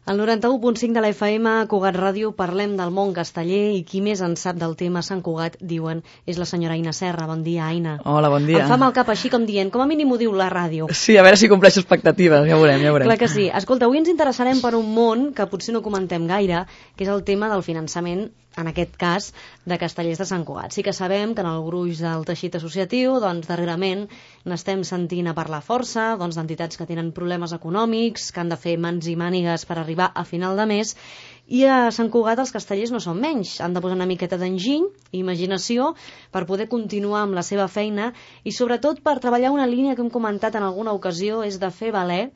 Al 91.5 de la FM, a Cugat Ràdio, parlem del món casteller i qui més en sap del tema Sant Cugat, diuen, és la senyora Aina Serra. Bon dia, Aina. Hola, bon dia. Em fa mal cap així com dient, com a mínim ho diu la ràdio. Sí, a veure si compleixo expectatives, ja veurem. Clar que sí. Escolta, avui ens interessarem per un món que potser no comentem gaire, que és el tema del finançament, en aquest cas, de castellers de Sant Cugat. Sí que sabem que en el gruix del teixit associatiu, doncs, darrerament n'estem sentint a parlar força, doncs, d'entitats que tenen problemes econòmics, que han de fer mans i mànigues per arribar a final de mes, i a Sant Cugat els castellers no són menys. Han de posar una miqueta d'enginy i imaginació per poder continuar amb la seva feina i sobretot per treballar una línia que hem comentat en alguna ocasió, és de fer valer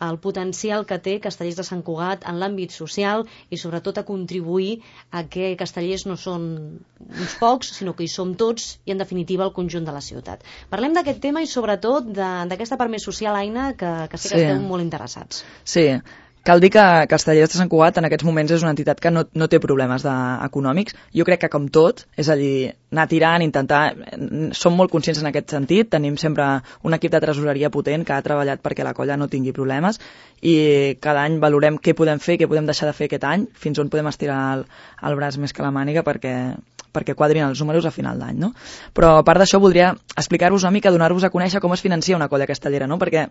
el potencial que té Castellers de Sant Cugat en l'àmbit social i sobretot a contribuir a que castellers no són uns pocs, sinó que hi som tots i en definitiva el conjunt de la ciutat. Parlem d'aquest tema i sobretot d'aquesta part més social, Aina, que sé que esteu molt interessats. Sí. Cal dir que Castellers de Sant Cugat en aquests moments és una entitat que no té problemes econòmics. Jo crec que com tot, és a dir, anar tirant, intentar... Som molt conscients en aquest sentit, tenim sempre un equip de tresoreria potent que ha treballat perquè la colla no tingui problemes i cada any valorem què podem fer, què podem deixar de fer aquest any, fins on podem estirar el braç més que la màniga perquè quadrin els números a final d'any, no? Però a part d'això voldria explicar-vos una mica, donar-vos a conèixer com es financia una colla castellera, no? Perquè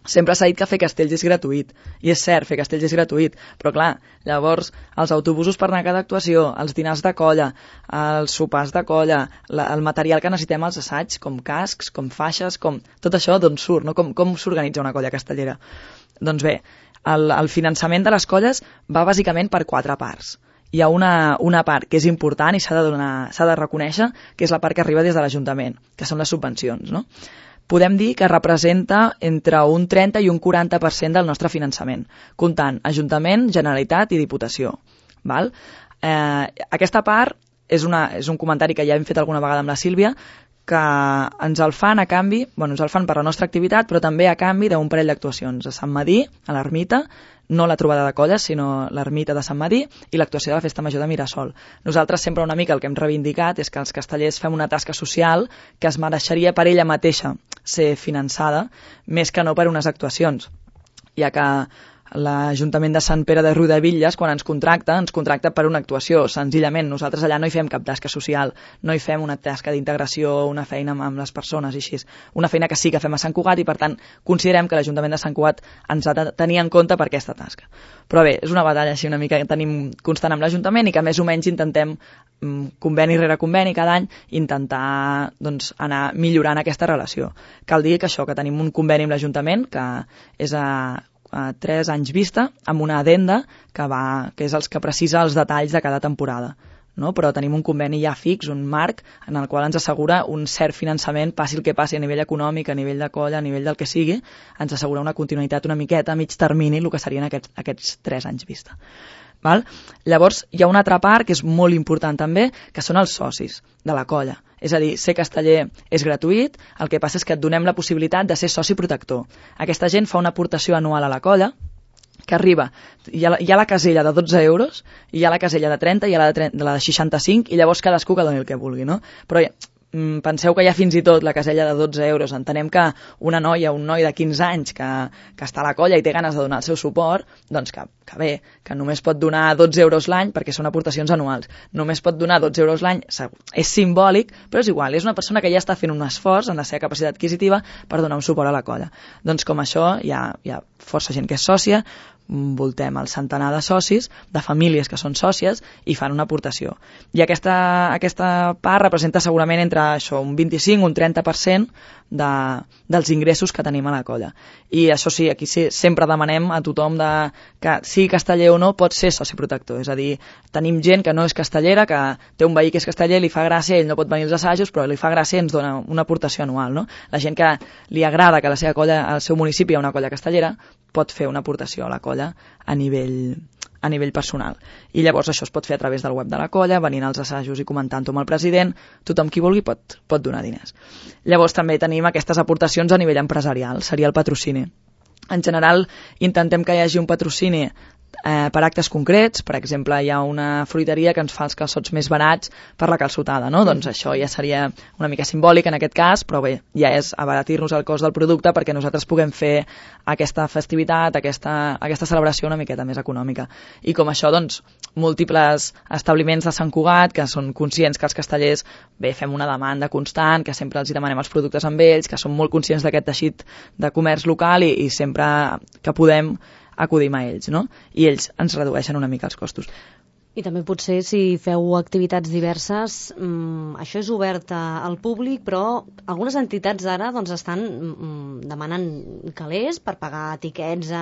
sempre s'ha dit que fer castells és gratuït, i és cert, fer castells és gratuït, però clar, llavors els autobusos per anar a cada actuació, els dinars de colla, els sopars de colla, el material que necessitem als assaigs, com cascs, com faixes, com... tot això d'on surt, no? Com s'organitza una colla castellera? Doncs bé, el finançament de les colles va bàsicament per 4 parts. Hi ha una part que és important i s'ha de reconèixer, que és la part que arriba des de l'Ajuntament, que són les subvencions, no? Podem dir que representa entre un 30 i un 40% del nostre finançament, comptant Ajuntament, Generalitat i Diputació. Val? Aquesta part és un comentari que ja hem fet alguna vegada amb la Sílvia, que ens el fan a canvi, ens el fan per la nostra activitat, però també a canvi d'un parell d'actuacions. A Sant Madí, a l'Ermita, no la trobada de colles, sinó l'Ermita de Sant Madí i l'actuació de la Festa Major de Mirasol. Nosaltres sempre una mica el que hem reivindicat és que els castellers fem una tasca social que es mereixeria per ella mateixa ser finançada, més que no per unes actuacions, ja que l'Ajuntament de Sant Pere de Riudebitlles, quan ens contracta per una actuació, senzillament. Nosaltres allà no hi fem cap tasca social, no hi fem una tasca d'integració, una feina amb les persones i així. Una feina que sí que fem a Sant Cugat i, per tant, considerem que l'Ajuntament de Sant Cugat ens ha de tenir en compte per aquesta tasca. Però bé, és una batalla així una mica que tenim constant amb l'Ajuntament i que més o menys intentem, conveni rere conveni, cada any, intentar anar millorant aquesta relació. Cal dir que que tenim un conveni amb l'Ajuntament, que és a 3 anys vista, amb una addenda que és els que precisa els detalls de cada temporada. No? Però tenim un conveni ja fix, un marc, en el qual ens assegura un cert finançament, passi el que passi a nivell econòmic, a nivell de colla, a nivell del que sigui, ens assegura una continuïtat una miqueta a mig termini, el que serien aquests 3 anys vista. Val? Llavors, hi ha una altra part que és molt important també, que són els socis de la colla. És a dir, ser casteller és gratuït, el que passa és que et donem la possibilitat de ser soci protector. Aquesta gent fa una aportació anual a la colla, que arriba, hi ha la casella de 12 euros, hi ha la casella de 30, hi ha la de 65, i llavors cadascú que doni el que vulgui, no? Però penseu que hi ha fins i tot la casella de 12 euros. Entenem que una noia, un noi de 15 anys que està a la colla i té ganes de donar el seu suport, doncs que bé, que només pot donar 12 euros l'any perquè són aportacions anuals. Només pot donar 12 euros l'any, és simbòlic, però és igual, és una persona que ja està fent un esforç en la seva capacitat adquisitiva per donar un suport a la colla. Doncs com això hi ha força gent que és sòcia, voltem el centenar de socis, de famílies que són sòcies i fan una aportació. I aquesta part representa segurament entre això, un 25 o un 30% dels ingressos que tenim a la colla. I això sí, aquí sempre demanem a tothom que sigui casteller o no pot ser soci protector. És a dir, tenim gent que no és castellera, que té un veí que és casteller, li fa gràcia, ell no pot venir als assajos, però li fa gràcia i ens dona una aportació anual. No? La gent que li agrada que a la seva colla, al seu municipi hi ha una colla castellera, pot fer una aportació a la colla a nivell personal. I llavors això es pot fer a través del web de la colla, venint als assajos i comentant-ho amb el president, tothom qui vulgui pot donar diners. Llavors també tenim aquestes aportacions a nivell empresarial, seria el patrocini. En general intentem que hi hagi un patrocini per actes concrets. Per exemple, hi ha una fruiteria que ens fa els calçots més barats per la calçotada, no? Doncs això ja seria una mica simbòlic en aquest cas, però bé, ja és abaratir-nos el cost del producte perquè nosaltres puguem fer aquesta festivitat, aquesta celebració una miqueta més econòmica. I com això, doncs, múltiples establiments de Sant Cugat que són conscients que els castellers fem una demanda constant, que sempre els hi demanem els productes amb ells, que són molt conscients d'aquest teixit de comerç local i sempre que podem acudim a ells, no? I ells ens redueixen una mica els costos. I també potser si feu activitats diverses, això és obert al públic, però algunes entitats ara doncs, estan demanant calés per pagar tiquets a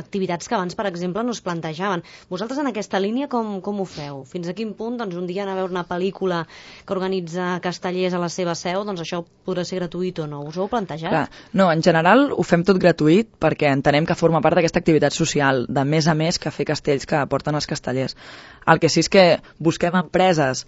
activitats que abans, per exemple, no es plantejaven. Vosaltres en aquesta línia com ho feu? Fins a quin punt doncs, un dia anar a veure una pel·lícula que organitza Castellers a la seva seu, doncs això podrà ser gratuït o no? Us ho heu plantejat? Clar, no, en general ho fem tot gratuït perquè entenem que forma part d'aquesta activitat social, de més a més que fer castells que aporten els castellers. El que sí és que busquem empreses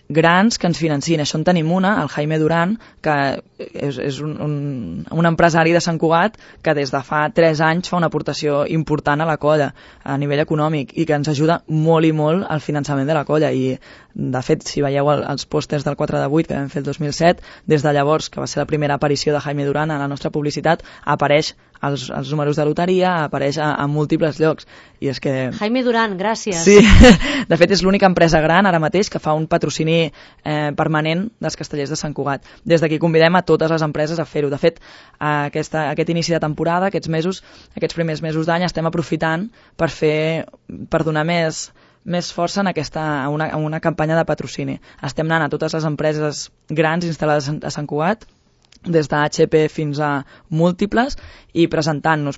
grans que ens financin. Això en tenim una, el Jaime Duran, que és un empresari de Sant Cugat que des de fa 3 anys fa una aportació important a la colla a nivell econòmic i que ens ajuda molt i molt al finançament de la colla. I de fet, si veieu els pòsters del 4 de 8 que vam fer el 2007, des de llavors, que va ser la primera aparició de Jaime Duran a la nostra publicitat, apareix als números de loteria, apareix a múltiples llocs. I és que... Jaime Duran, gràcies. Sí, de fet és l'única empresa gran ara mateix que fa un patrocini permanent dels castellers de Sant Cugat. Des d'aquí convidem a totes les empreses a fer-ho. De fet, aquest inici de temporada, aquests primers mesos d'any, estem aprofitant per donar més força en una campanya de patrocini. Estem anant a totes les empreses grans instal·lades a Sant Cugat, des de HP fins a múltiples, i presentant-nos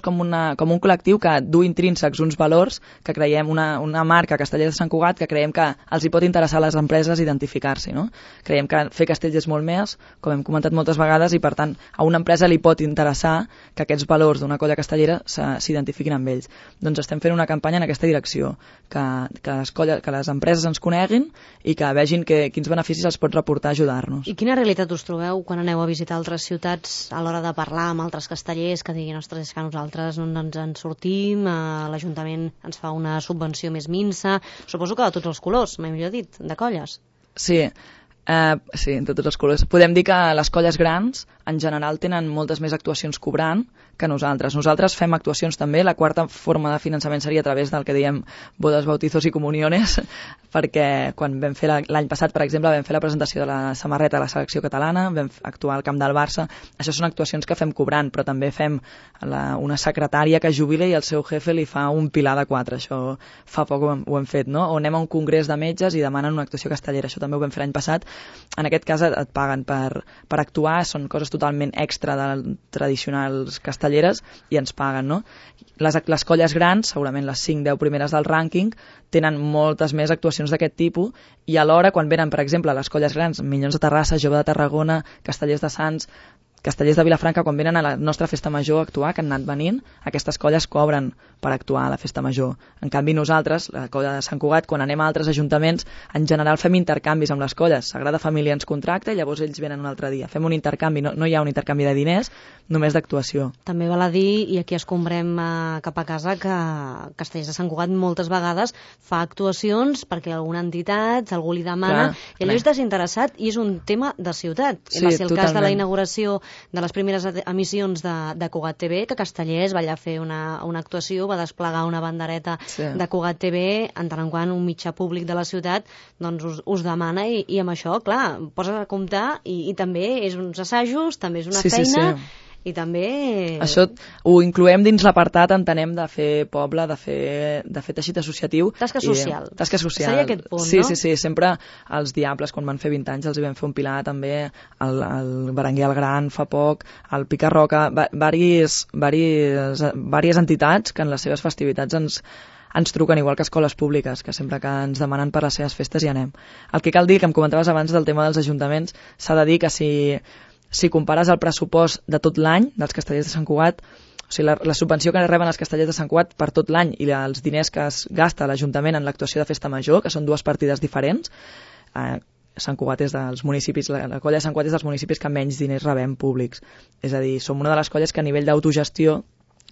com un col·lectiu que du intrínsecs uns valors que creiem, una marca Castellers de Sant Cugat que creiem que els hi pot interessar a les empreses identificar-s'hi, no? Creiem que fer castells és molt més, com hem comentat moltes vegades, i per tant a una empresa li pot interessar que aquests valors d'una colla castellera s'identifiquin amb ells. Doncs estem fent una campanya en aquesta direcció, que les empreses ens coneguin i que vegin quins beneficis els pot reportar ajudar-nos. I quina realitat us trobeu quan aneu a visitar altres ciutats a l'hora de parlar amb altres castellers que diguin, ostres, és que nosaltres no ens en sortim, l'Ajuntament ens fa una subvenció més minsa, suposo que de tots els colors, mai millor dit, de colles. Sí, de tots els colors. Podem dir que les colles grans en general tenen moltes més actuacions cobrant que nosaltres. Nosaltres fem actuacions també, la quarta forma de finançament seria a través del que diem bodes, bautizos i comuniones, perquè quan vam fer l'any passat, per exemple, vam fer la presentació de la samarreta de la selecció catalana, vam actuar al camp del Barça. Això són actuacions que fem cobrant, però també fem una secretària que jubila i el seu jefe li fa un pilar de 4. Això fa poc ho hem fet, no? O anem a un congrés de metges i demanen una actuació castellera. Això també ho vam fer l'any passat. En aquest cas et paguen per actuar, són coses totalment extra de tradicionals castelleres i ens paguen, no? Les colles grans, segurament les 5-10 primeres del rànquing, tenen moltes més actuacions d'aquest tipus i alhora quan venen, per exemple, les colles grans, Minyons de Terrassa, Jove de Tarragona, Castellers de Sants, Castellers de Vilafranca, quan venen a la nostra festa major a actuar, que han anat venint, aquestes colles cobren per actuar a la festa major. En canvi nosaltres, la colla de Sant Cugat, quan anem a altres ajuntaments, en general fem intercanvis amb les colles. Sagrada Família ens contracta i llavors ells venen un altre dia. Fem un intercanvi, no hi ha un intercanvi de diners, només d'actuació. També val a dir, i aquí escombrem cap a casa, que Castellers de Sant Cugat moltes vegades fa actuacions perquè alguna entitat, algú li demana, i allò és desinteressat i és un tema de ciutat. Sí, va ser el cas de la totalment. inauguració de les primeres emissions de Cugat TV, que Castellers va allà fer una actuació, va desplegar una bandereta de Cugat TV, en tant en quant un mitjà públic de la ciutat doncs us demana i amb això, clar, poses a comptar i també és uns assajos, també és una feina. Sí. I també... Això ho incloem dins l'apartat, entenem, de fer poble, de fer teixit associatiu. Tasca social. Tasca social. Seria aquest punt, sí, no? Sí, sempre els Diables, quan van fer 20 anys, els hi vam fer un pilar també, el Berenguer el Gran fa poc, el Picarroca, vàries entitats que en les seves festivitats ens truquen, igual que escoles públiques, que sempre que ens demanen per les seves festes hi anem. El que cal dir, que em comentaves abans del tema dels ajuntaments, s'ha de dir que si compares el pressupost de tot l'any dels Castellers de Sant Cugat, o sigui, la subvenció que reben els Castellers de Sant Cugat per tot l'any i els diners que es gasta l'Ajuntament en l'actuació de festa major, que són dues partides diferents, Sant Cugat és dels municipis, la colla de Sant Cugat és dels municipis que menys diners rebem públics. És a dir, som una de les colles que a nivell d'autogestió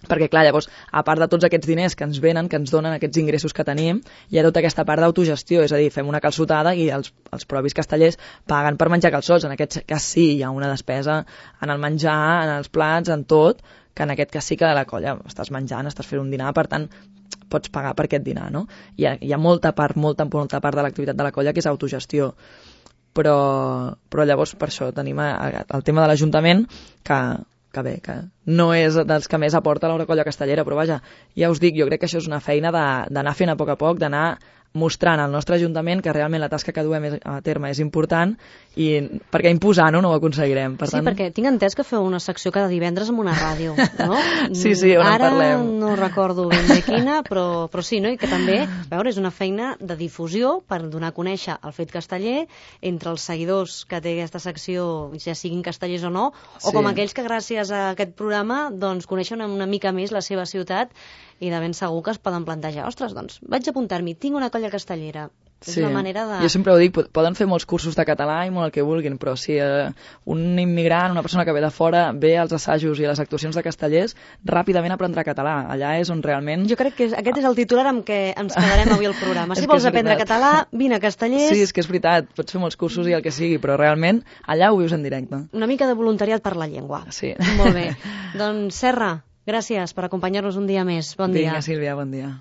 Perquè, clar, llavors, a part de tots aquests diners que ens venen, que ens donen aquests ingressos que tenim, hi ha tota aquesta part d'autogestió, és a dir, fem una calçotada i els propis castellers paguen per menjar calçots. En aquest cas sí, hi ha una despesa en el menjar, en els plats, en tot, que en aquest cas sí que a la colla estàs menjant, estàs fent un dinar, per tant, pots pagar per aquest dinar, no? Hi ha molta part de l'activitat de la colla que és autogestió. Però llavors, per això, tenim el tema de l'Ajuntament, que bé, que no és dels que més aporta la colla castellera, però vaja, ja us dic, jo crec que això és una feina d'anar fent a poc, d'anar mostrant al nostre Ajuntament que realment la tasca que duem a terme és important, i perquè imposant-ho no ho aconseguirem. Per tant... perquè tinc entès que feu una secció cada divendres en una ràdio, no? Sí, on en parlem. Ara no recordo ben bé quina, però sí, no? I que també, és una feina de difusió per donar a conèixer el fet casteller entre els seguidors que té aquesta secció, ja siguin castellers o no, o com aquells que gràcies a aquest programa doncs coneixen una mica més la seva ciutat i de ben segur que es poden plantejar, ostres, doncs vaig apuntar-m'hi, tinc una colla castellera. És una manera de... Jo sempre ho dic, poden fer molts cursos de català i molt el que vulguin, però si un immigrant, una persona que ve de fora, ve als assajos i a les actuacions de castellers, ràpidament aprendrà català. Allà és on realment... Jo crec que aquest és el titular amb què ens quedarem avui al programa. Si vols aprendre català, vine a Castellers... Sí, és que és veritat, pots fer molts cursos i el que sigui, però realment allà ho vius en directe. Una mica de voluntariat per la llengua. Sí. Molt bé. Doncs Serra, gràcies per acompanyar-nos un dia més. Bon dia. Vinga, Sílvia, bon dia.